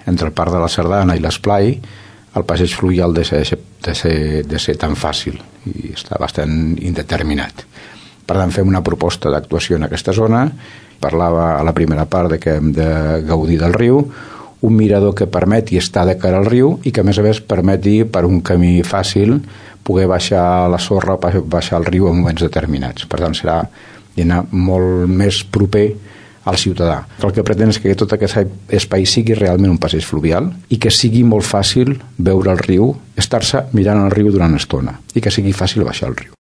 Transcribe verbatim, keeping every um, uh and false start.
entre el Parc de la Sardana i l'Esplai, el passeig fluvial de ser, de ser, de ser tan fàcil i està bastant indeterminat. Per tant, fem una proposta d'actuació en aquesta zona. Parlava a la primera part de que hem de gaudir del riu, un mirador que permeti estar de cara al riu i que a més a més permeti per un camí fàcil poder baixar la sorra, baixar el riu en moments determinats. Per tant, serà anar molt més proper al ciutadà. El que pretén és que tot aquest espai sigui realment un passeig fluvial i que sigui molt fàcil veure el riu, estar-se mirant el riu durant estona i que sigui fàcil baixar el riu.